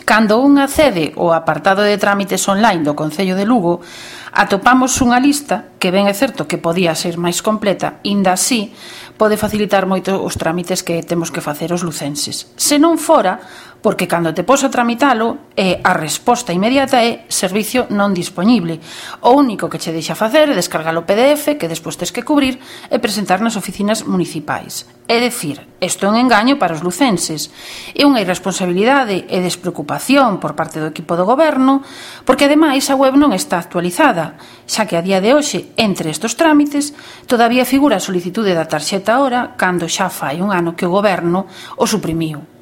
Cando un accede ao apartado de trámites online do Concello de Lugo, atopamos unha lista que ben é certo que podía ser máis completa, inda así pode facilitar moito os trámites que temos que facer os lucenses. Se non fora, porque cando te pos a tramitalo, a resposta inmediata é servicio non dispoñible. O único que che deixa facer é descargar o PDF que despois tes que cubrir e presentar nas oficinas municipais. É dicir, isto é un engaño para os lucenses. É unha irresponsabilidade e despreocupación por parte do equipo do goberno, porque ademais a web non está actualizada, xa que a día de hoxe, entre estes trámites, todavía figura a solicitude da tarxeta hora cando xa fai un ano que o goberno o suprimiu.